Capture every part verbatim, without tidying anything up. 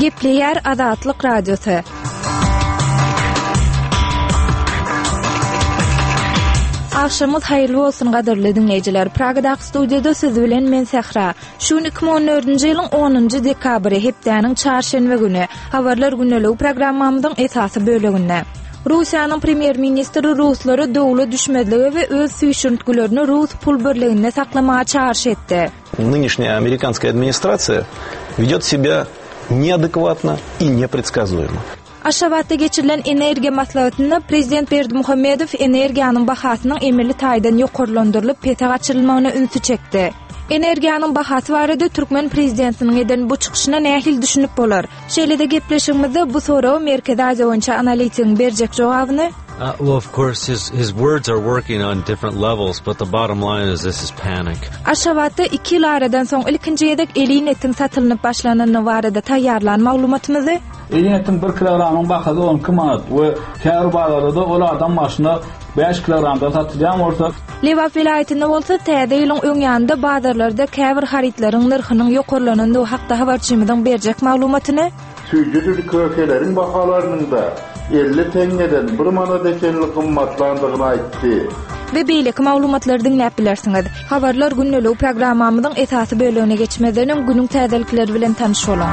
Gepleýär Azatlyk Radiosy. Agşamyňyz haýyrly bolsun gadyrly diňleýjiler. Pragadaky studiýada siz bilen men Sähra. Şu gün iki müň on dördünji ýylyň onunjy dekabry, hepdäniň çarşenbe güni. Habarlar gündeligi programmamyzyň esasy böleginde. Russiýanyň premýer-ministri ruslary dowla düşmezlige we öz süýşürintgilerini rus pul birliginde saklamaga çagyryş etdi. Нынешняя американская администрация ведет себя неадекватно и непредсказуемо. Aşgabatda geçirilen energiýa maslahatynda Prezident Berdimuhamedow energiýanyň bahasynyň emeli taýdan ýokarlandyrylyp pese gaçyrylmagyna ünsi çekdi. Energiýanyň bahasy barada türkmen prezidentiniň eden bu çykyşyna nähili düşünip bolar? Şeýle-de gepleşigimizde bu soraga Merkezi Aziýa boýunça analitigiň berjek jogabyny Uh, well, of course, his, his words are working on different levels, but the bottom line is this is panic. Aşgabatda iki ýyl aradan soň ilkinji gezek elin etiň satylynyp başlanandygy barada taýýarlan maglumatymyzy Elin etiň bir kilogramyň bahasy on iki manat we käbir bazarlarda ol adam başyna bäş kilogramdan satylýan bolsa, Lebap welaýatynda bolsa täze ýylyň öň ýanynda bazarlarda käbir harytlaryň nyrhynyň ýokarlanandygy hakda habarçymyzyň berjek maglumatyny Süýjüdür kökeleriň bahalarynyň da elli teňňeden bir manat ekenli gymmatlandygyny aýtdy. We beýleki maglumatlary diňläp bilersiňiz. Habarlar gündeligi programmamyzyň esasy bölegine geçmezden öň günüň täzelikleri bilen tanyş boluň.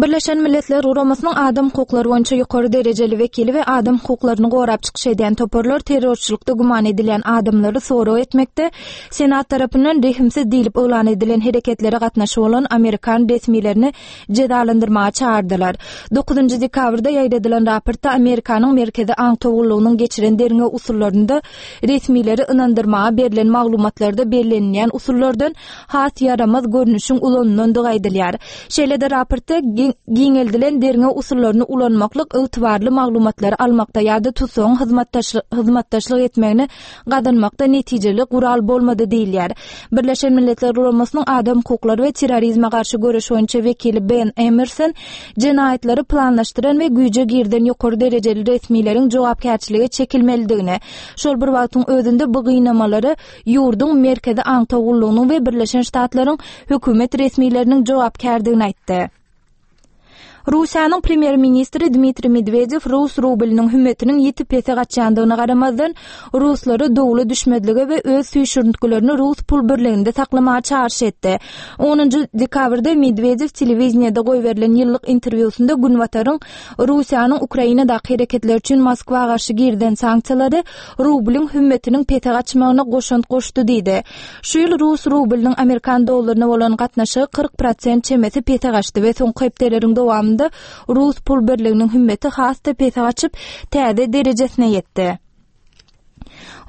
Birleşen Milletler Guramasynyň adam hukuklary boýunça ýokary derejeli wekili we adam hukuklaryny gorap çykyş edýän toparlar terrorçylykda güman edilýän adamlary sorag etmekde Senat tarapyndan rehimsiz diýlip yglan edilen hereketlere gatnaşy bolan Amerikan resmilerini jezalandyrmaga çagyrdylar. Dokuzynjy dekabrda ýaýradylan raportda Amerikanyň Merkezi aňtaw gullugynyň geçiren derňew usullarynda resmileri ynandyrmaga berlen maglumatlarda bellenilýän usullardan has ýaramaz görnüşiň ulanylandygy aýdylýar. Şeýle-de raportda giňeldilen derňew usullaryny ulanmaklyk ygtybarly maglumatlary almakda ýa-da tutsagyň hyzmatdaşlyk etmegini gazanmakda netijeli gural bolmady diýilýär. Birleşen Milletler Guramasynyň adam hukuklary we terrorizme garşy göreş boýunça wekili Ben Emerson jenaýatlary planlaşdyran we güýje girden ýokary derejeli resmileriň jogapkärçilige çekilmelidigini, şol bir wagtyň özünde bu gynamalary ýurduň Merkezi aňtaw gullugynyň we Birleşen Ştatlaryň hökümet resmileriniň jogapkärdigini aýtdy. Russiýanyň premýer-ministri Dmitriý Medwedew rus rubeliniň hümmetiniň ýiti pese gaçýandygyna garamazdan, ruslary dowla düşmezlige we öz süýşürintgilerini rus pul birliginde saklamaga çagyryş etdi. Onunjy dekabrda Medwedew telewiziyada goýberilen ýyllyk interwýusynda Günbataryň Russiýanyň Ukrainadaky hereketleri üçin Moskwa garşy girden sanksiýalary rublyň hümmetiniň pese gaçmagyna goşant goşdy diýdi. Şu ýyl rus rubeliniň Amerikan dollaryna bolan gatnaşygy kyrk prosent çemesi pese gaçdy we soňky hepdeleriň dowamynda rus pul birliginiň hümmeti has-da pese gaçyp, täze derejesine ýetdi.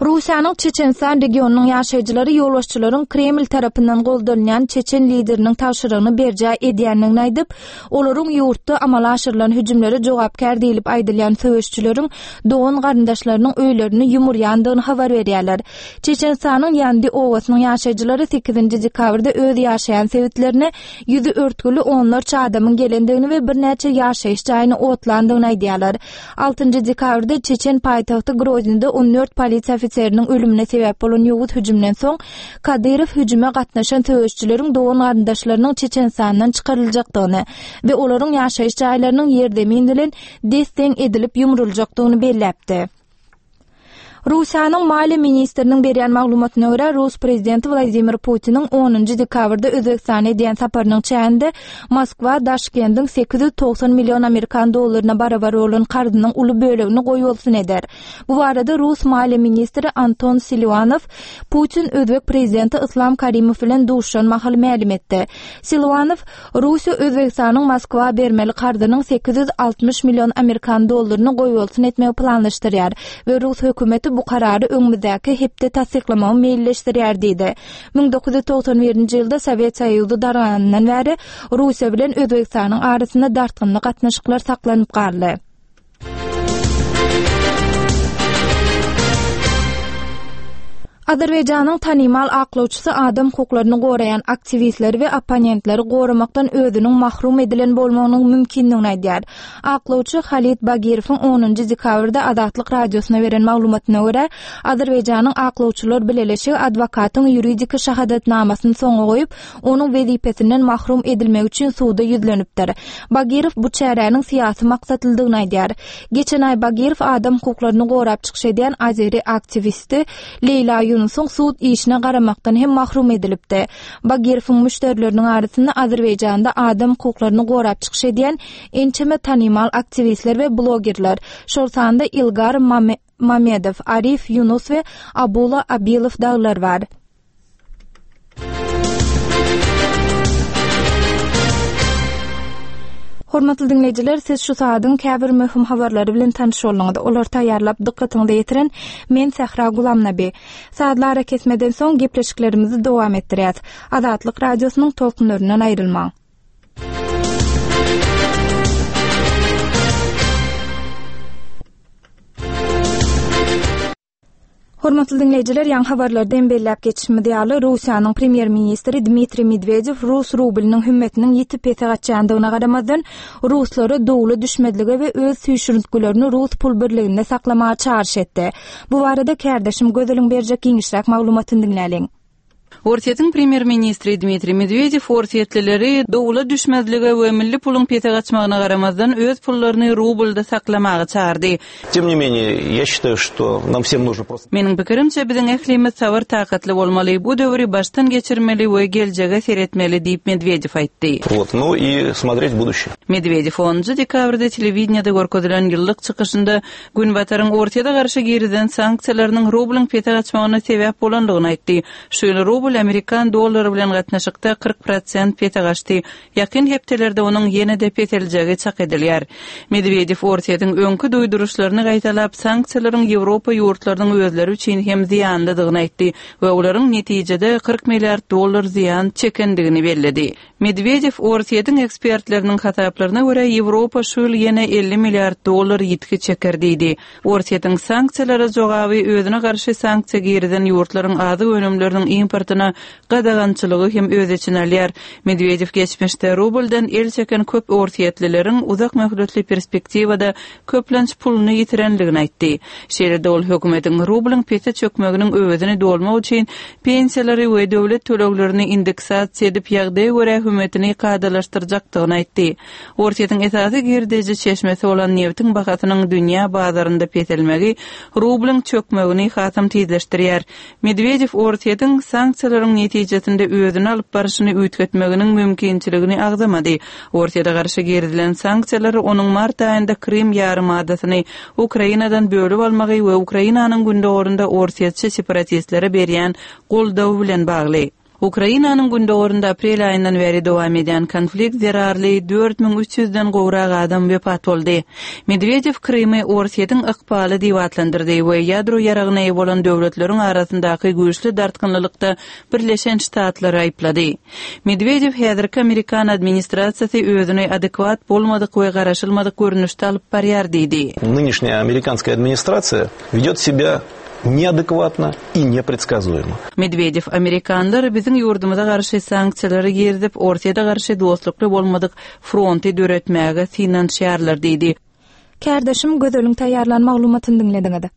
Russiýanyň Çeçenistan regionynyň ýaşaýjylary ýolbaşçylaryň Kreml tarapyndan goldalýan Çeçen lideriniň tabşyrygyny berjaý edýändigini aýdyp, olaryň ýurtda amala aşyrylan hüjümlere jogapkär diýlip aýdylýan söweşçileriň dogan garyndaşlarynyň öýlerini ýumurýandygyny habar berýärler. Çeçenistanyň Ýandi obasynyň ýaşaýjylary sekizinji dekabrda öz ýaşaýan sebitlerine ýüzi örtgüli onlarça adamyň gelendigini we birnäçe ýaşaýyş jaýyny otlandygyny aýdýarlar. Altynjy dekabrda Çeçen paýtagty Groznida on dört polisiýa ofiseriniň ölümine sebäp bolan ýowuz hüjümden soň Kadyrow hüjüme gatnaşan söweşçileriň dogan garyndaşlarynyň Çeçenistandan çykaryljakdygyny we olaryň ýaşaýyş jaýlarynyň ýerzemin bilen desseň edilip ýumruljakdygyny belläpdi. Russiýanyň maliýe ministriniň berýän maglumatyna görä, Rus prezidenti Wladimir Putiniň onunjy dekabrda Özbegistana edýän saparynyň çäginde Moskwa Daşkendiň sekiz ýüz togsan million amerikan dollaryna barabar bolan karzynyň uly bölegini goýbolsun eder. Bu barada Rus maliýe ministri Anton Siluanow Putin Özbek prezidenti Islam Karimow bilen duşan mahal mälim etdi. Siluanow Russiýa Özbegistanyň Moskwa bermeli karzynyň sekiz ýüz altmyş million amerikan dollaryny goýbolsun etmegi planlaşdyrýar we Rus hökümeti bu karary öňümizdäki hepde tassyklamagy meýilleşdirýär diýdi. Müň dokuz ýüz togsan birinji ýylda Sowet Soýuzy darganyndan bäri Russiýa bilen Özbegistanyň arasynda dartgynly gatnaşyklar saklanyp galdy. Azerbaýjanyň tanymal aklawçysy adam hukuklaryny goraýan aktiwistleri we opponentleri goramakdan özüniň mahrum edilen bolmagynyň mümkindigini aýdýar. Aklawçy Halid Bagirowyň onunjy dekabrda Azatlyk radiosyna beren maglumatyna görä, Azerbaýjanyň aklawçylar bileleşigi adwokatyň ýuridiki şahadatnamasyny soňa goýup, onuň wezipesinden mahrum edilmegi üçin suda ýüzlenipdir. Bagirow bu çäräniň syýasy maksatlydygyny aýdýar. Geçen aý Bagirow adam hukuklaryny gorap çykyş edýän azeri aktiwisti Leýla Ýunusyň sud işine garamakdan hem mahrum edilipdi. Bagirowyň müşderileriniň arasynda Azerbaýjanda adam hukuklaryny gorap çykyş edýän ençeme tanymal aktiwistler we blogerler, şol sanda Ilgar Mamedow, Arif Ýunus we Abula Abilow dagylar bar. Hormatly diňleýjiler, siz şu saadyň käbir möhüm habarlary bilen tanyş bolduňyz. Olary taýýarlap dykgatyňyza ýetiren men Sähra Gulamnabi. Sazly arakesmeden soň gepleşiklerimizi dowam etdirýäs. Azatlyk radiosynyň tolkunlaryndan aýrylmaň. Hormatly diňleýjiler, ýaňy habarlarda hem belläp geçişimiz ýaly, Russiýanyň premýer-ministri Dmitriý Medwedew rus rublynyň hümmetiniň ýiti pese gaçýandygyna garamazdan, ruslara dowla düşmezlige we öz süýşürintgilerini rus pul birliginde saklamaga çagyryş etdi. Bu barada kärdeşim Gözeliň berjek giňişräk maglumatyny diňläliň. Orsýetiň premýer-ministri Dmitriý Medwedew orsýetlileri dowla düşmezlige we milli puluň pese gaçmagyna garamazdan öz pullaryny rublda saklamaga çagyrdy. Тем не менее, я считаю, что нам всем нужно просто Meniň pikirimçe, biziň ählimiz sabyr takatly bolmaly, bu döwri başdan geçirmeli we geljege seretmeli diýip Medwedew aýtdy. Вот, ну и смотреть в будущее. Medwedew onunjy dekabrda telewideniýede görkezilen ýyllyk çykyşynda Günbataryň Orsýete garşy girizen sanksiýalarynyň rublyň pese gaçmagyna sebäp bolandygyny aýtdy. Şu ýyl rubl amerikan dollary bilen gatnaşykda kyrk prosent pese gaçdy. Ýakyn hepdelerde onuň ýene-de peseljegi çak edilýär. Medwedew Orsýetiň öňki duýduryşlaryny gaýtalap, sanksiýalaryň Ýewropa ýurtlarynyň özleri üçin hem zyýanlydygyny aýtdy we olaryň netijede kyrk milliard dollar zyýan çekendigini belledi. Medwedew Orsýetiň ekspertleriniň hasaplaryna görä Ýewropa şu ýyl ýene elli milliard dollar ýitgi çeker diýdi. Orsýetiň sanksiýalara jogaby özüne garşy sanksiýa girizen ýurtlaryň azyk önümleriniň importyna gadagançylygy hem öz içine alýar. Medwedew geçmişde rubldan el çeken köp orsýetlileriň uzak möhletli perspektiwada köplenç puluny ýitirenligini aýtdy. Şeýle-de ol hökümetiň rublyň pese çökmeginiň öwezini dolmak üçin pensiýalary we döwlet töleglerini indeksasiýa edip ýagdaýa görä hümmetini kadalaşdyrjakdygyny aýtdy. Orsýetiň esasy girdeji çeşmesi bolan nebitiň bahasynyň dünýä bazarynda peselmegi rublyň çökmegini hasam tizleşdirýär. Medwedew Orsýetiň sanksiýalaryň netijesinde özüni alyp baryşyny üýtgetmeginiň mümkinçiligini agzamady. Orsýete garşy girizilen sanksiýalar onuň mart aýynda Krym ýarymadasyny Ukrainadan bölüp almagy we Ukrainanyň gündogarynda orsýetçi separatistlere berýän goldawy bilen bagly. Ukrainanyň gündogarynda aprel aýyndan bäri dowam edýän konflikt zerarly dört müň üç ýüzden gowrak adam wepat boldy. Medwedew Krymy Orsýetiň ykbaly diýip atlandyrdy we ýadro ýaragyna eýe bolan döwletleriň arasyndaky güýçli dartgynlylykda Birleşen Ştatlary aýyplady. Medwedew häzirki Amerikan administrasiýasy özüni adekwat bolmadyk we garaşylmadyk görnüşde alyp barýar diýdi. Нынешняя американская администрация ведет себя неадекватно и непредсказуемо. Medwedew amerikanlar biziň ýurdumyza garşy sanksiýalary girizip, Orsýete garşy dostlukly bolmadyk fronty döretmäge synanyşýarlar diýdi. Kärdeşim Gözeliň taýýarlan maglumatyny diňlediňiz.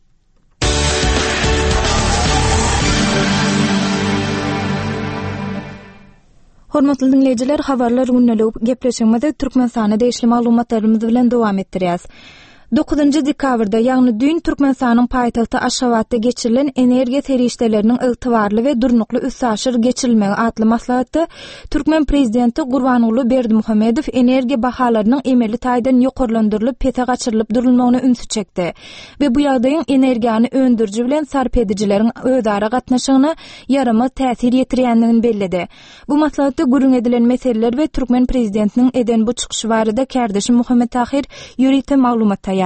Hormatly diňleýjiler, habarlar gündelik gepleşigimizi Türkmenistana degişli maglumatlarymyz bilen dowam etdirýäs. Dokuzynjy dekabrda, ýagny düýn Türkmenistanyň paýtagty Aşgabatda geçirilen energiýa serişdeleriniň ygtybarly we durnukly üstaşyr geçirilmegi atly maslahatda Türkmen prezidenti Gurbanguly Berdimuhamedow energiýa bahalarynyň emeli taýdan ýokarlandyrylyp pese gaçyrylyp durulmagyna ünsi çekdi we bu ýagdaýyň energiýany öndüriji bilen sarp edijileriň özara gatnaşygyna ýaramaz täsir ýetirýändigini belledi. Bu maslahatda gürrüň edilen meseleler we Türkmen prezidentiniň eden bu çykyşy barada kärdeşim Muhammet Tahir ýörite maglumat taýýarlady.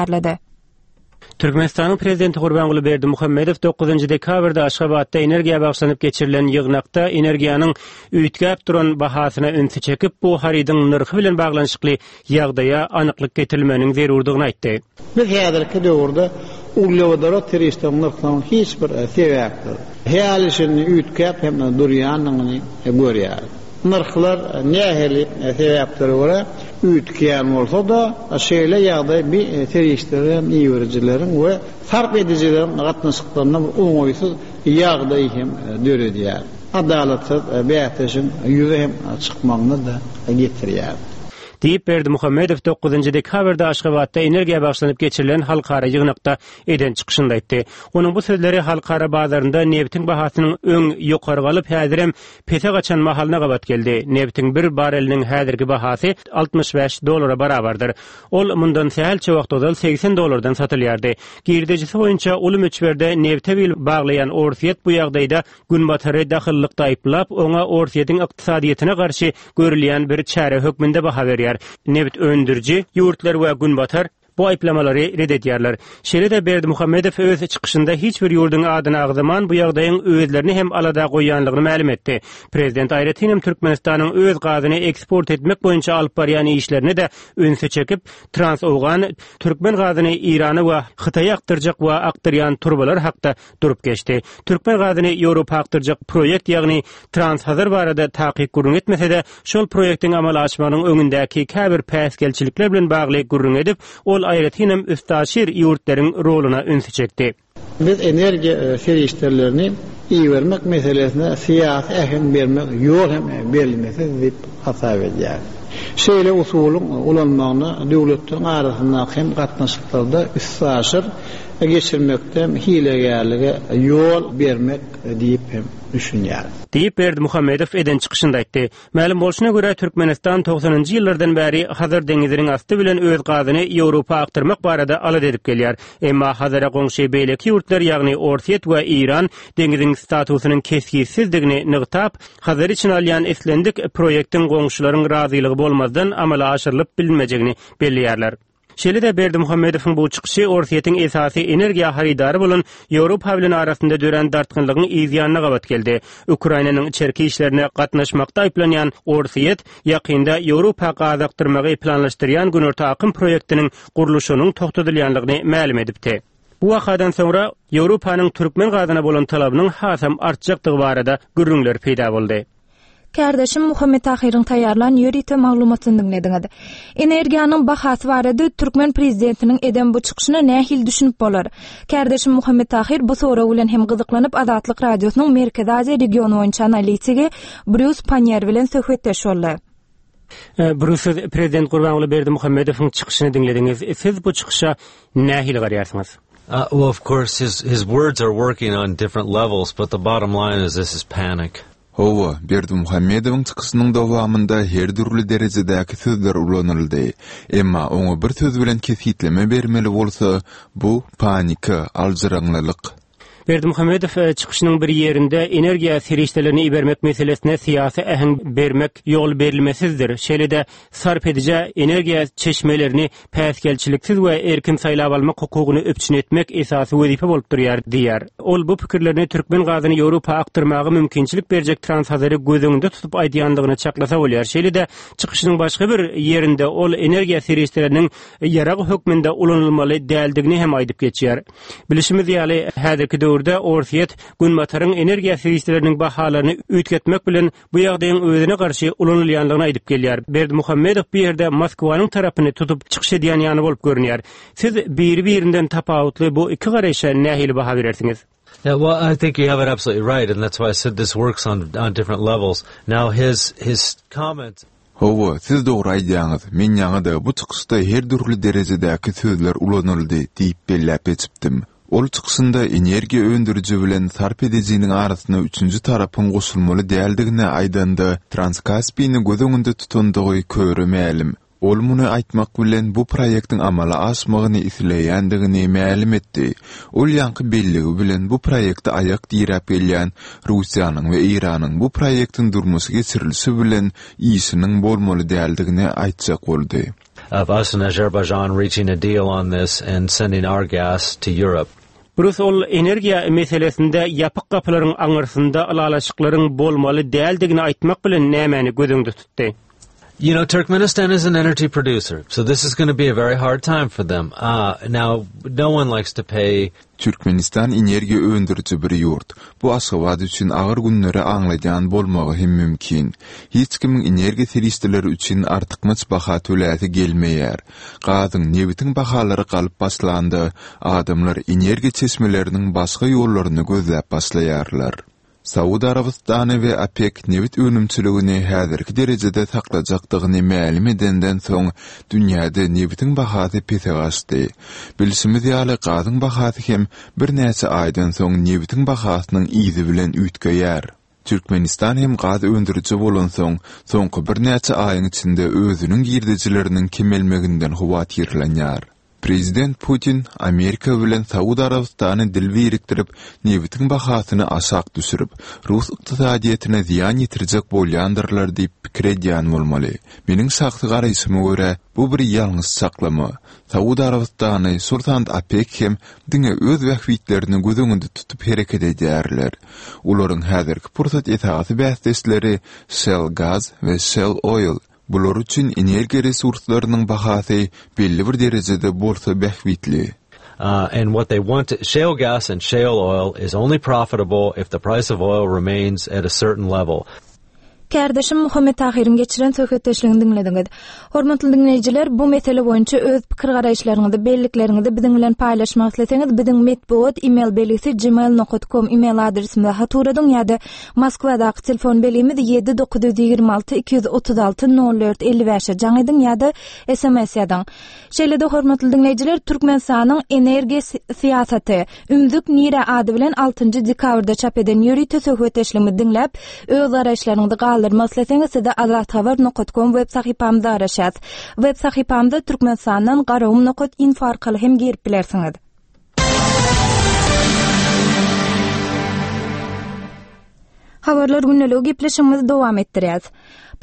Türkmenistanyň prezidenti Gurbanguly Berdimuhamedow dokuzynjy dekabrda Aşgabatda energiýa bagşlanyp geçirilen ýygnakda energiýanyň üýtgäp duran bahasyna ünsi çekip, bu harydyň nyrhy bilen baglanyşykly ýagdaýa anyklyk getirilmeginiň zerurdygyny aýtdy. Biz häzirki döwürde Uglewodorod serişdeleriniň nyrhlarynyň hiç bir sebäpsiz, häli-şindi üýtgäp hem durýandygyny görýäris. Nyrhlar nähili sebäplere görä üýtgeýän bolsa-da, şeýle ýagdaý bi serişdeleri hem iberijileriň we sarp edijileriň gatnaşyklarynda bir oňaýsyz ýagdaý hem döredýär. Adalatsyz bäsleşigiň ýüze hem çykmagyna-da getirýär. Diýip, Berdimuhamedow dokuzynjy dekabrda Aşgabatda energiýa bagyşlanyp geçirilen halkara ýygnakda eden çykyşynda aýtdy. Onuň bu sözleri halkara bazarynda nebitiň bahasynyň öň ýokary galyp, häzirem pese gaçan mahalyna gabat geldi. Nebitiň bir bareliniň häzirki bahasy altmyş bäş dollara barabardyr. Ol mundan sähelçe wagt ozal segsen dollardan satylýardy. Girdejisi boýunça uly möçberde nebite bil baglaýan Orsýet bu ýagdaýda Günbatary dahyllykda aýyplap, oňa Orsýetiň ykdysadyýetine garşy görülýän bir çäre hökmünde baha berýär. Nebit öndüriji ýurtlar we Günbatar bu aýyplamalary ret edýärler. Şeýle-de Berdimuhamedow öz çykyşynda hiç bir ýurduň adyny agzaman, bu ýagdaýyň özlerini hem alada goýýanlygyny mälim etdi. Prezident aýratyn hem Türkmenistanyň öz gazyny eksport etmek boýunça alyp barýan işlerine-de ünsi çekip, Trans-Owgan türkmen gazyny Eýrana we Hytaýa akdyrjak we akdyrýan turbalar hakda durup geçdi. Türkmen gazyny Ýewropa akdyrjak proýekt, ýagny Trans-Hazar barada takyk gürrüň etmese-de, şol proýektiň amala aşmagynyň öňündäki käbir päsgelçilikler bilen bagly gürrüň edip, ol aýratynam üstaşyr ýurtlaryň roluna ünsi çekdi. Biz energiýa serişdelerini ibermek meselesine syýasy äheň bermek ýol hem berilmesiz diýip hasap edýäris. Şeýle usulyň ulanmagyna döwletleriň arasyndaky hem gatnaşyklarda üstaşyr geçirmekde hem hilegärlige ýol bermek diýip hem düşünýäris. Diýip, Berdimuhamedow eden çykyşynda aýtdy. Mälim bolşuna görä, Türkmenistan togsanynjy ýyllardan bäri Hazar deňiziniň asty bilen öz gazyny Ýewropa akdyrmak barada alada edip gelýär. Emma Hazara goňşy beýleki ýurtlar, ýagny Orsýet we Eýran deňiziň statusynyň kesgitsizdigini nygtap, Hazary içine alýan islendik proýektiň goňşularyň razylygy bolmazdan amala aşyrylyp bilinmejegini belleýärler. Şeýle-de Berdimuhamedowyň bu çykyşy Orsýetiň esasy energiýa harydary bolan Ýewropa bilen arasynda dörän dartgynlygyň yz ýanyna gabat geldi. Ukrainanyň içerki işlerine gatnaşmakda aýyplanýan Orsýet ýakynda Ýewropa gaz akdyrmagy planlaşdyrýan Günorta akym proýektiniň gurluşygynyň togtadylýanlygyny mälim edipdi. Bu wakadan soňra Ýewropanyň türkmen gazyna bolan talabynyň hasam artjakdygy barada gürrüňler peýda boldy. Kärdeşim Muhammet Tahyryň taýýarlan ýörite maglumatyny diňlediňiz. Energiýanyň bahasy barada türkmen prezidentiniň eden bu çykyşyna nähili düşünip bolar? Kärdeşim Muhammet Tahyr bu sorag bilen hem gyzyklanyp Azatlyk Radiosynyň Merkezi Aziýa regiony boýunça analitigi Brýus Pannier bilen söhbetdeş boldy. Brýus, siz prezident Gurbanguly Berdimuhamedowyň çykyşyny diňlediňiz. Siz bu çykyşa nähili garaýarsyňyz? Uh, well, of course, his, his words are working on different levels, but the bottom line is this is panic. Hawa, Berdimuhamedowyň çykyşynyň dowamynda her dürli derejedäki sözler ulanyldy. Emma oňa bir söz bilen kesgitleme bermeli bolsa, bu panika, aljyraňlylyk. Berdimuhamedow çykyşynyň bir ýerinde energiýa serişdelerini ibermek meselesine syýasy äheň bermek ýol berilmesizdir. Şeýle-de sarp edijä energiýa çeşmelerini päsgelçiliksiz we erkin saýlap almak hukugyny üpjün etmek esasy wezipe bolup durýar diýýär. Ol bu pikirlerini türkmen gazyny Ýewropa akdyrmaga mümkinçilik berjek Trans-Hazary göz öňünde tutup aýdýandygyny çaklasa bolýar. Şeýle-de çykyşynyň başga bir ýerinde ol energiýa serişdeleriniň ýarag hökmünde ulanylmaly däldigini hem aýdyp geçýär. Bilişimiz ýaly, häzirki döwürde Orsýet Günbataryň energiýa serişdeleriniň bahalaryny üýtgetmek bilen bu ýagdaýyň özüne garşy ulanylýanlygyny aýdyp gelýär. Berdimuhamedow bu ýerde Moskwanyň tarapyny tutup çykyş edýän ýaly bolup görünýär. Siz biri-birinden tapawutly bu iki garaýşa nähili baha berersiňiz? Yeah, well, I think you have it absolutely right, and that's why I said this works on, on different levels. Now, his, his comments Hawa, siz dogry aýdýaňyz. Men ýaňy-da bu çykyşda her dürli derejedäki sözler ulanyldy diýip belläp geçipdim. Ol çykyşynda energiýa öndüriji bilen sarp edijiniň arasyna üçünji tarapyň goşulmaly däldigini aýdanda, Transkaspini göz öňünde tutandygy köre mälim. Ol muny aýtmak bilen bu proýektiň amala aşmagyny isleýändigini mälim etdi. Ol ýaňky belligi bilen bu proýekte aýak diräp gelýän Russiýanyň we Eýranyň bu proýektiň durmuşa geçirilişi bilen işiniň bolmaly däldigini aýtjak boldy. of us and Azerbaijan reaching a deal on this and sending our gas to Europe. Brus ol energiýa meselesinde ýapyk gapylaryň aňyrsynda ylalaşyklaryň bolmaly däldigini aýtmak bilen nämäni göz öňünde tutdy? You know, Turkmenistan is an energy producer, so this is going to be a very hard time for them. Uh, now, no one likes to pay Türkmenistan energiýa öndüriji bir ýurt. Bu Aşgabat üçin agyr günleri aňladýan bolmagy hem mümkin. Hiç kimiň energiýa serişdeleri üçin artykmaç baha töläsi gelmeýär. Gazyň, nebitiň bahalary galyp başlanda, adamlar energiýa çeşmeleriniň başga ýollaryny gözläp başlaýarlar. Saud Arabystany we OPEC nebit önümçiligini häzirki derejede saklajakdygyny mälim edenden soň dünýäde nebitiň bahasy pese gaçdy. Bilşimiz ýaly gazyň bahasy hem birnäçe aýdan soň nebitiň bahasynyň yzy bilen üýtgeýär. Türkmenistan hem gaz öndüriji bolansoň, soňky birnäçe aýyň içinde özüniň girdejileriniň kemelmeginden howatyrlanýar. Prezident Putin Amerika bilen Saud Arabystany dil birikdirip, nebitiň bahasyny aşak düşürip, Rus ykdysadyýetine zyýan ýetirjek bolýandyrlar diýip pikir edýän bolmaly. Meniň şahsy garaýşyma görä, bu bir ýalňyş çaklama. Saud Arabystany, şol sanda OPEC hem diňe öz bähbitlerini göz öňünde tutup hereket edýärler. Olaryň häzirki pursat esasy bäsdeşleri Shell Gaz we Shell Oil. Bular üçin energiýa resurslarynyň bahasy belli bir derejede bolsa bähbitli. Uh, and what they want to, shale gas and shale oil is only profitable if the price of oil remains at a certain level. Kärdeşim Muhammet Tahyryň geçiren söhbetdeşligini diňlediňiz. Hormatly diňleýjiler, bu mesele boýunça öz pikir garaýyşlaryňyzy, bellikleriňizi biziň bilen paýlaşmak isleseňiz, biziň metbugat e-mail belgisi gmail nokta com e-mail adresimize hat ugradyň ýa-da Moskwadaky telefon belgimiz ýedi dokuz ýüz ýigrimi alty iki ýüz otuz alty nol dört elli bäşe jaň ediň ýa-da S M S ýazyň. Şeýle-de hormatly diňleýjiler, Türkmenistanyň energiýa syýasaty Ümzük Nire ady bilen altynjy dekabrda çap eden ýörite söhbetdeşligimizi diňläp, öz garaýyşlaryňyzy galdyrmak isleseňiz, size azathabar nokta com web sahypamyzda garaşýarys. Web sahypamyzda Türkmenistandan garagum nokta info arkaly hem girip bilersiňiz. Habarlar günlügi gepleşigimizi dowam etdirýäris.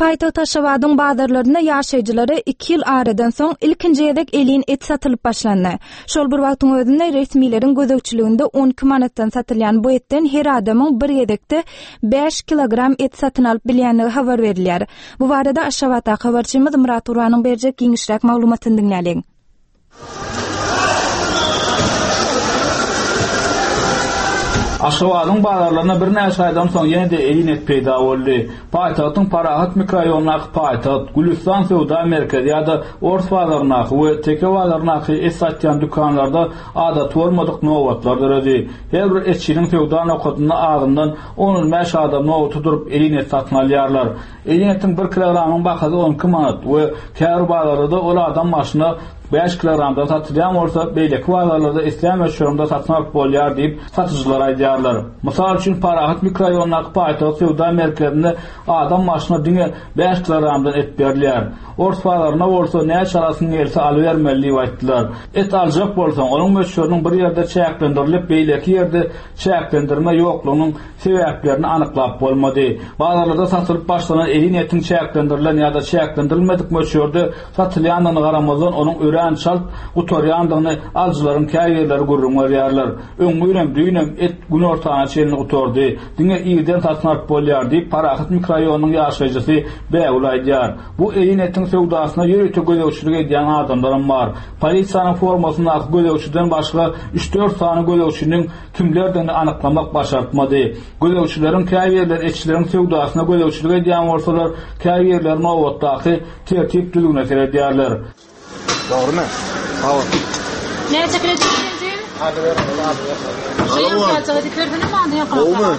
Paýtagt Aşgabadyň bazarlarynda ýaşaýjylara iki ýyl aradan soň ilkinji gezek elin et satylyp başlandy. Şol bir wagtyň özünde resmileriň gözegçiliginde on iki manatdan satylýan bu etden her adamyň bir gezekde bäş kilogram et satyn alyp bilýändigi habar berilýär. Bu barada Aşgabatdaky habarçymyz Murat Gurbanyň berjek giňişräk maglumatyny diňläliň. Aşgabadyň bazarlarynda birnäçe aýdan soň ýene-de elin et peýda boldy. Paýtagtyň Parahat mikrorayonundaky paýtagt, Gülüstan söwda merkezi ýa-da Ors bazaryndaky we Teke bazaryndaky et satýan dükanlarda adaty bolmadyk nobatlar döredi. Her bir etçiniň söwda nokadynda azyndan on bäş adam nobata durup elin et satyn alýarlar. Elin etiň bir kilogramyň bahasy on iki manat we käbir bazarlarda ol adam başyna bäş kilogramdan satylýan bolsa, beýleki bazarlarda islän möçberinde satyn alyp bolýar diýip satyjylar aýdýarlar. Mysal üçin Parahat mikrorayonundaky paýtagt söwda merkezinde adam başyna diňe bäş kilogramdan et berilýär. Ors bazarynda bolsa näçe alasyň gelse alybermeli diýip aýtdylar. Et aljak bolsaň, onuň möçberiniň bir ýerde çäklendirilip, beýleki ýerde çäklendirme ýoklugynyň sebäplerini anyklap bolmady. Bazarlarda satylyp başlanan elin etiň çäklendirilen ýa-da çäklendirilmedik möçberde satylýandygyna garamazdan onuň örän çalt gutarýandygyny alyjylaryň käbirleri gürrüň berýärler. Öňňürem düýnem et gün ortana çenli gutardy. Diňe irden satyn alyp bolýar diýip Parahat mikrorayonynyň ýaşaýjysy Bägül aýdýar. Bu elin etiň söwdasyna ýörite gözegçilik edýän adamlaram bar. Polisiýanyň formasyndaky gözegçiden başga üç dört sany gözegçiniň kimlerdigini anyklamak başartmady. Gözegçileriň käbirleri etçileriň söwdasyna gözegçilik edýän bolsalar, käbirleri nobatdaky tertip düzgüne seredýärler. Dogrymy? Hawa. Näçe kredi berdi? Gowmy?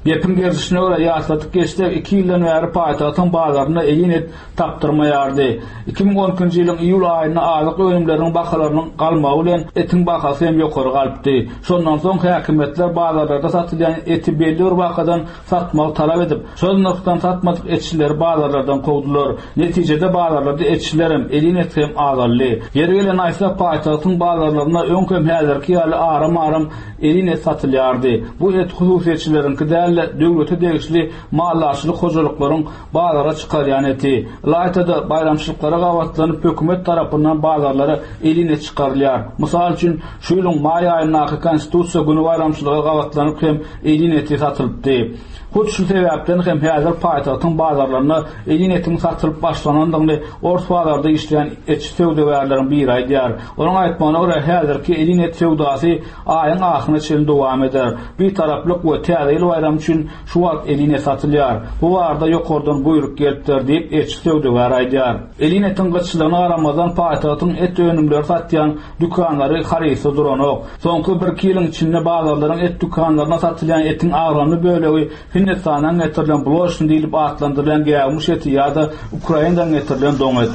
Gepiň gelişine görä ýatladyk geçsek, iki ýyldan bäri paýtagtyň bazarynda elin et tapdyrmaýardy. iki müň on ikinji ýylyň iýul aýynda azyk önümleriniň bahalarynyň galmagy bilen etiň bahasy hem ýokary galypdy. Şondan soň häkimiýetler bazarlarda satylýan eti belli bir bahadan satmagy talap edip, şol nyrhdan satmadyk etçileri bazarlardan kowdular. Netijede bazarlarda etçiler hem elin et hem azaldy. Ýeri gelen aýtsak, paýtagtyň bazarlarynda öňkem häzirki ýaly aram-aram elin et satylýardy. Bu et hususyýetçileriňki däl, däl-de döwlete degişli maldarçylyk hojalyklaryň bazara çykarýan eti. Ylaýta-da baýramçylyklara gabatlanyp hökümet tarapyndan bazarlara elin et çykarylýar. Mysal üçin, şu ýylyň maý aýyndaky Konstitusiýa güni baýramçylyga gabatlanyp hem elin eti satylypdy. Hut şu sebäpden hem häzir paýtagtyň bazarlarynda elin etiň satylyp başlanandygyny ors bazarda işleýän etçi söwdagärleriň biri aýdýar. Onuň aýtmagyna görä häzirki elin et söwdasy aýyň ahyryna çenli dowam eder. Bir taraplyk we täze ýyl baýramy üçin şu wagt elin et satylýar. Bu barada ýokardan buýruk gelipdir diýip etçi söwdagär aýdýar. Elin etiň gytçylygyna garamazdan paýtagtyň et önümleri satýan dükanlary harytsyz duranok. Soňky bir ýylyň içinde bazarlaryň et dükanlaryna satylýan etiň agramly bölegi Hindistandan getirilen bloşn diýlip atlandyrylan gäwmiş eti ýa-da Ukrainadan getirilen doň et.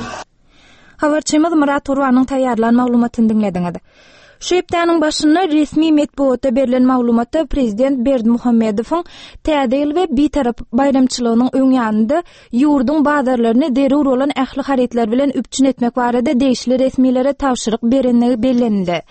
Habarçymyz Murat Gurbanyň taýýarlan maglumatyny diňlediňiz. Şu hepdäniň başynda resmi metbugatda berlen maglumatda prezident Berdimuhamedowyň Täze ýyl we Bitarap baýramçylygynyň öň ýanynda ýurduň bazarlaryny zerur bolan ähli harytlar bilen üpjün etmek barada degişli resmilere tabşyryk berenligi bellenildi.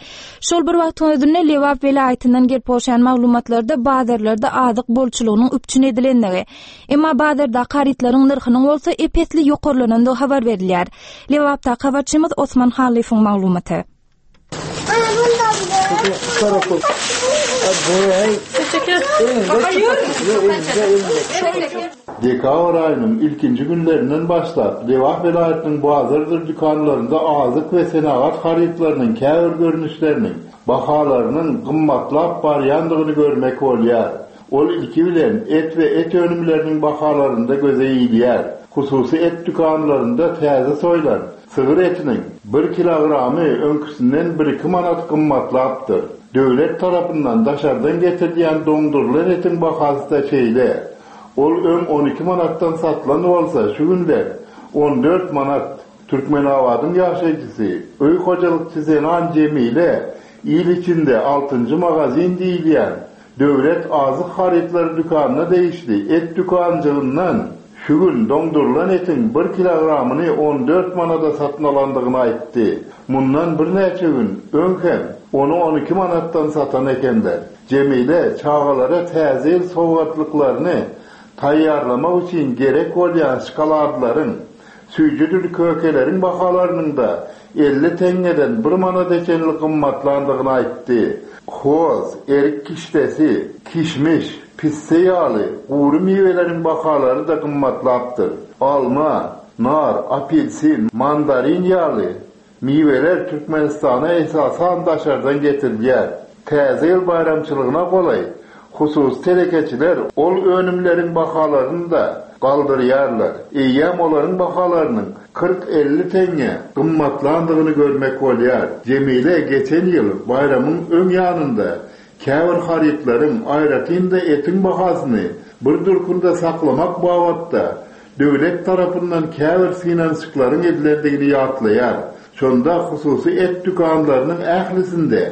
Şol bir wagtyň özünde Lebap welaýatyndan gelip gowşan maglumatlarda bazarlarda azyk bolçulygynyň üpjün edilendigi, emma bazardaky harytlaryň nyrhynyň bolsa epesli ýokarlanandygy habar berilýär. Lebapdaky habarçymyz Osman Halyfyň maglumaty. Dekabr aýynyň ilkinji günlerinden başlap Lebap welaýatynyň bazardyr dükanlarynda azyk we senagat harytlarynyň käbir görnüşleriniň bahalarynyň gymmatlap barýandygyny görmek bolýar. Ol ilki bilen et we et önümleriniň bahalarynda göze ilýär. Hususy et dükanlarynda täze soýlan sygyr etiniň bir kilogramy öňküsinden bir iki manat gymmatlapdyr. Döwlet tarapyndan daşardan getirilýän doňdurylan etiň bahasy da şeýle. Ol öň on iki manatdan satylan bolsa şu günler on dört manat. Türkmenabadyň ýaşaýjysy öý hojalykçy Zenan Jemile il içinde altynjy magazin diýilýän döwlet azyk harytlary dükanyna degişli et dükanjygyndan şu gün doňdurylan etiň bir kilogramyny on dört manada satyn alandygyny aýtdy. Mundan birnäçe gün öň hem ony on iki manatdan satan ekenler. Jemile çagalara täze ýyl sowgatlyklaryny taýýarlamak üçin gerek bolýan şokoladlaryň, süýjüdür kökeleriň bahalarynyň da elli teňňeden bir manada çenli gymmatlandygyny aýtdy. Hoz, erik kişdesi, kişmiş, pisse ýaly gury miweleriň bahalary da gymmatlapdyr. Alma, nar, apelsin, mandarin ýaly miweler Türkmenistana esasan daşardan getirilýär. Täze ýyl baýramçylygyna golaý hususy telekeçiler ol önümleriň bahalaryny da galdyrýarlar. Eýýäm olaryň bahalarynyň kyrk elli teňňe gymmatlandygyny görmek bolýar. Jemile geçen ýyl baýramyň öň ýanynda käbir harytlaryň aýratyn-da etiň bahasyny bir durkunda saklamak babatda döwlet tarapyndan käbir synanyşyklaryň edilendigini ýatlaýar. Şonda hususy et dükanlarynyň ählisinde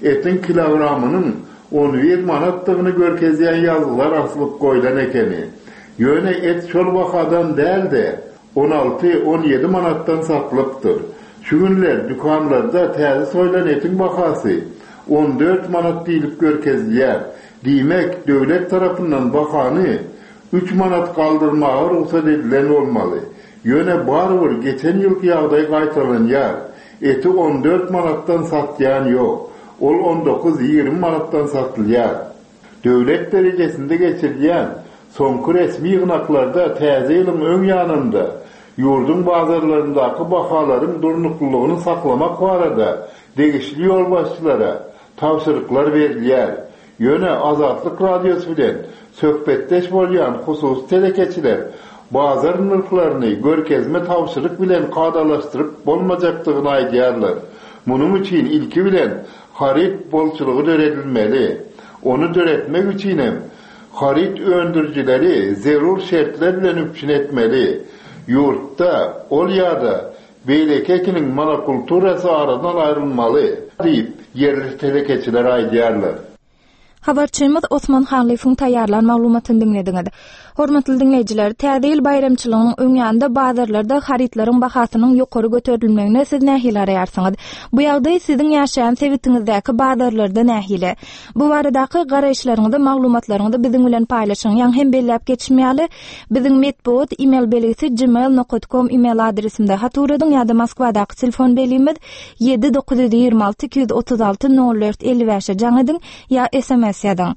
etiň kilogramynyň on bir manatdygyny görkezýän ýazgylar asylyp goýlan ekeni. Ýöne et şol bahadan däl-de on alty on ýedi manatdan satylypdyr. Şu günler dükanlarda täze soýlan etiň bahasy on dört manat diýlip görkezilýär. Diýmek, döwlet tarapyndan bahany üç manat galdyrmaga rugsat edilen bolmaly. Ýöne barybir geçen ýylky ýagdaý gaýtalanýar. Eti on dört manatdan satýan ýok. Ol on dokuz ýigrimi manatdan satylýar. Döwlet derejesinde geçirilýän soňky resmi ýygnaklarda täze ýylyň öň ýanynda ýurduň bazarlaryndaky bahalaryň durnuklylygyny saklamak barada degişli ýolbaşçylara tabşyryklar berilýär. Ýöne Azatlyk Radiosy bilen söhbetdeş bolýan hususy telekeçiler bazar nyrhlaryny görkezme tabşyryk bilen kadalaşdyryp bolmajakdygyny aýdýarlar. Munuň üçin ilki bilen haryt bolçulygy döredilmeli. Ony döretmek üçin hem haryt öndürijileri zerur şertler bilen üpjün etmeli. Ýurtda ol ýa-da beýleki ekiniň monokulturasy aradan aýrylmaly diýip ýerli telekeçiler aýdýarlar. Habarçymyz Osman Hanlyfowyň taýýarlan maglumatyny diňlediňiz. Hormatly diňleýjiler, Täze ýyl baýramçylygynyň öň ýanynda bazarlarda harytlaryň bahasynyň ýokary göterilmegine siz nähili garaýarsyňyz? Bu ýagdaý siziň ýaşaýan sebitiňizdäki bazarlarda nähili? Bu baradaky garaýyşlaryňyzy, maglumatlaryňyzy biziň bilen paýlaşyň. Ýaňy hem belläp geçim ýaly, biziň metbugat e-mail belgisi gmail nokta com e-mail adresimde hat ugradyň ýa-da Moskwadaky telefon belgimiz ýedi dokuz ýüz ýigrimi alty iki ýüz otuz alty nol dört elli bäşe jaň ediň ýa S M S ýazyň.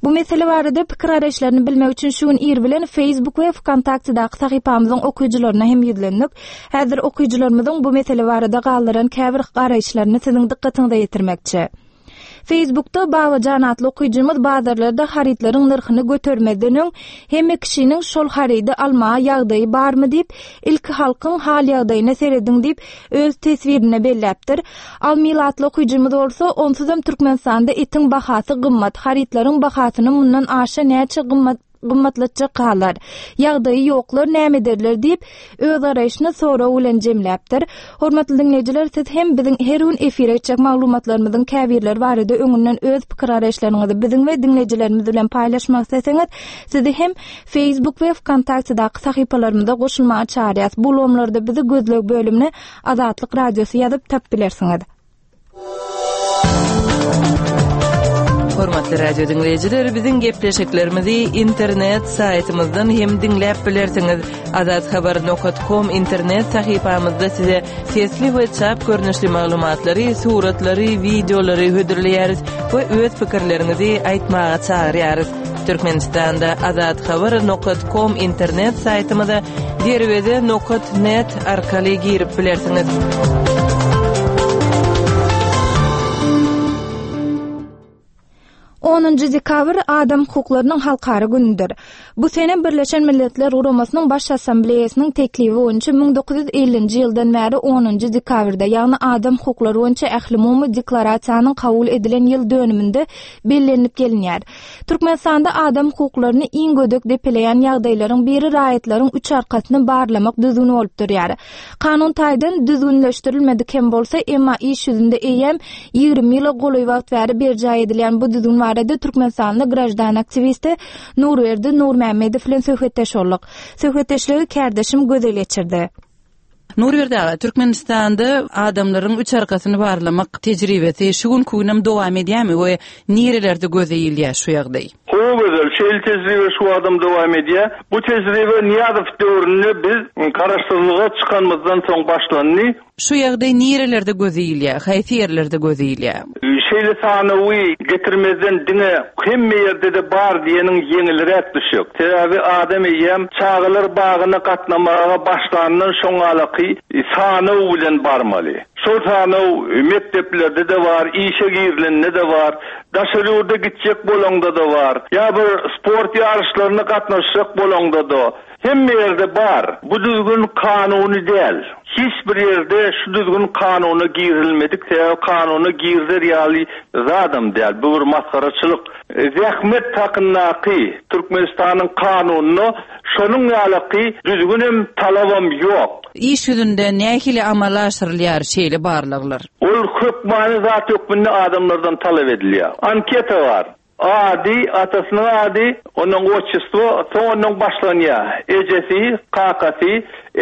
Bu mesele barada pikir garaýyşlaryny bilmek üçin şu gün ir bilen Facebook we VKontaktedaky sahypamyzyň okyjylaryna hem ýüzlendik. Häzir okyjylarymyzyň bu mesele barada galdyran käbir garaýyşlaryny siziň dykgatyňyza ýetirmekçi. Facebookda Babajan atly okyjymyz bazarlarda harytlaryň nyrhyny götermezden öň hemme kişiniň şol harydy almaga ýagdaýy barmy diýip, ilki halkyň hal ýagdaýyna serediň diýip öz teswirine belläpdir. Almil atly okyjymyz bolsa, onsuzam Türkmenistanda etiň bahasy gymmat, harytlaryň bahasyny mundan aşa näçe gymmat gymmatlatjak galar. Ýagdaýy ýoklar näme ederler diýip öz garaýşyny sorag bilen jemläpdir. Hormatly diňleýjiler, siz hem biziň her gün efire geçjek maglumatlarymyzyň käbirleri barada öňünden öz pikir garaýyşlaryňyzy biziň we diňleýjilerimiz bilen paýlaşmak isleseňiz, sizi hem Facebook we VKontaktedaky sahypalarymyza goşulmaga çagyrýarys. Bu ulgamlarda bizi gözleg bölümine Azatlyk Radiosy ýazyp tap bilersiňiz. Hormatly radio diňleýjiler, biziň gepleşiklerimizi internet saýtymyzdan hem diňläp bilersiňiz. Azathabar nokta com internet sahypamyzda size sesli we çap görnüşli maglumatlary, suratlary, wideolary hödürleýäris we öz pikirleriňizi aýtmaga çagyrýarys. Türkmenistanda azathabar nokta com internet saýtymyza derweze nokta net arkaly girip bilersiňiz. Onunjy dekabr Adam hukuklarynyň halkara günüdür. Bu sene Birleşen Milletler Guramasynyň Baş Assambleýasynyň teklibi boýunça müň dokuz ýüz ellinji ýyldan bäri onunjy dekabrda, ýagny Adam hukuklary boýunça ählumumy deklarasiýanyň kabul edilen ýyl dönüminde bellenilip gelinýär. Türkmenistanda adam hukuklaryny iň gödek depeleýän ýagdaýlaryň biri raýatlaryň üç arkasyny barlamak düzgüni bolup durýar. Kanun taýdan düzgünleşdirilmedik hem bolsa, emma iş ýüzünde eýýäm ýigrimi ýyla golaý wagt bäri berjaý edilýän bu düzgün barada Türkmenistanly graždan aktiwisti Nurberdi Nurmämmedow bilen söhbetdeş bolduk. Söhbetdeşligi kärdeşim Gözel geçirdi. Nurberdi aga, Türkmenistanda adamlaryň üç arkasyny barlamak tejribesi şu gün günem dowam edýärmi we nirelerde göze ilýär şu ýagdaý? Gowy gözel, şeýle tejribe şu adam dowam edýär. Bu tejribe Niýazow döwründe biz garaşsyzlyga çykanymyzdan soň başlandy. Şu ýagdaý nirelerde göze ilýär, haýsy ýerlerde göze ilýär? Şeýle sanawy getirmezden diňe hemme ýerde-de bar diýeniň ýeňilräk düşük. Sebäbi adam eýýäm çagalar bagyna gatnamaga başlandan şoňalaky sanaw bilen barmaly. Şol sanaw mekdeplerde de bar, işe girilende de bar, daşary ýurda gitjek bolanda da bar, ýa bir sport ýaryşlaryna gatnaşjak bolanda da hemme ýerde bar. Bu düzgün kanuny däl. Hiç bir ýerde şu düzgün kanuna girilmedik, sebäbi kanuna girder ýaly zadam däl. Bu bir masgaraçylyk. Zähmet hakyndaky Türkmenistanyň kanunyna şonuň ýalyky düzgünem talabam ýok. Iş ýüzünde nähili amala aşyrylýar şeýle barlaglar? Ol hökmany zat hökmünde adamlardan talap edilýär. Anketa bar. Ady, atasynyň ady, onuň otçestvo, soň onuň başlanýar. Ejesi, kakasy,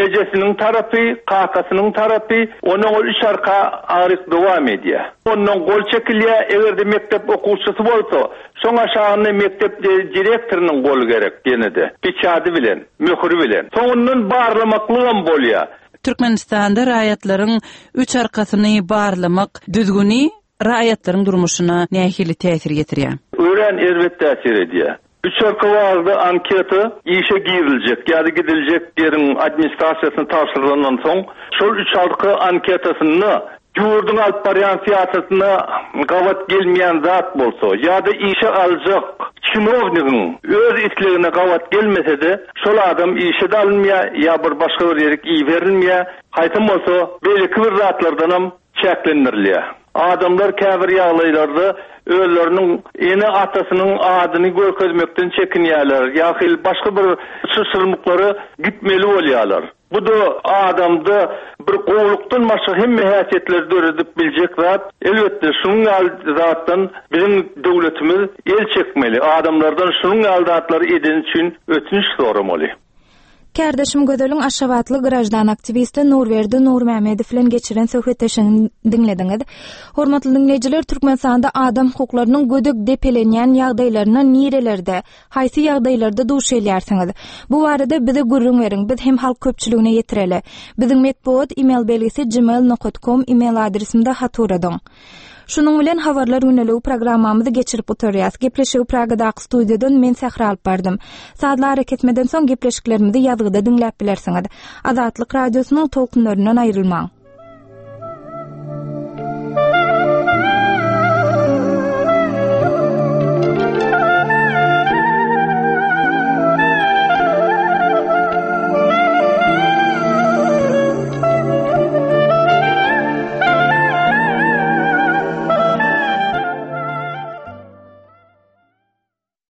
ejesiniň tarapy, kakasynyň tarapy, onuň ol üç arka aryk dowam edýär. Ondan gol çekilýär, eger-de mekdep okuwçysy bolsa, soň aşagynda mekdep direktorynyň goly gerek ýene-de, peçady bilen, möhüri bilen. Soňundan barlamaklygam bolýar. Türkmenistanda raýatlaryň üç arkasyny barlamak düzgüni raýatlaryň durmuşyna nähili täsir ýetirýär? Öwren erbet täsir edýär. Üç arka barada anketa işe giriljek ýa-da gidiljek ýeriň administrasiýasyna tabşyrylandan soň, şol üç arka anketasynda ýurduň alyp barýan syýasatyna gabat gelmeýän zat bolsa ýa-da işe aljak çinownigiň öz islegine gabat gelmese-de, şol adam işe de alynmaýar ýa bir başga bir ýere iberilmeýär, haýsam bolsa beýleki bir zatlardanam çäklendirilýär. Adamlar käbir ýagdaýlarda özleriniň ene atasynyň adyny görkezmekden çekinýärler ýa hil başga bir çyşyrmyklara gitmeli bolýarlar. Bu-da adamda bir gowlukdan başga hemme häsiýetleri döredip biljek zat. Elbetde, şunuň ýaly zatdan biziň döwletimiz el çekmeli. Adamlardan şunuň ýaly zatlary edeni üçin ötünç soramaly. Kärdeşim Gözeliň Aşgabatly graždan aktiwisti Nurberdi Nurmämmedow bilen geçiren söhbetdeşligini diňlediňiz. Hormatly diňleýjiler, Türkmenistanda adam hukuklarynyň gödek depelenýän ýagdaýlaryna nirelerde, haýsy ýagdaýlarda duş gelýärsiňiz? Bu barada bize gürrüň beriň, biz hem halk köpçüligine ýetireli. Biziň metbugat e-mail belgisi gmail nokat com e-mail adresimde hat ugradyň. Şunuň bilen Habarlar gündeligi programmamyzy geçirip gutarýas. Gepleşigi Pragadaky studiýadan men Sähra alyp bardym. Sazly arakesmeden soň gepleşiklerimizi ýazgyda diňläp bilersiňiz. Azatlyk Radiosynyň tolkunlaryndan aýrylmaň.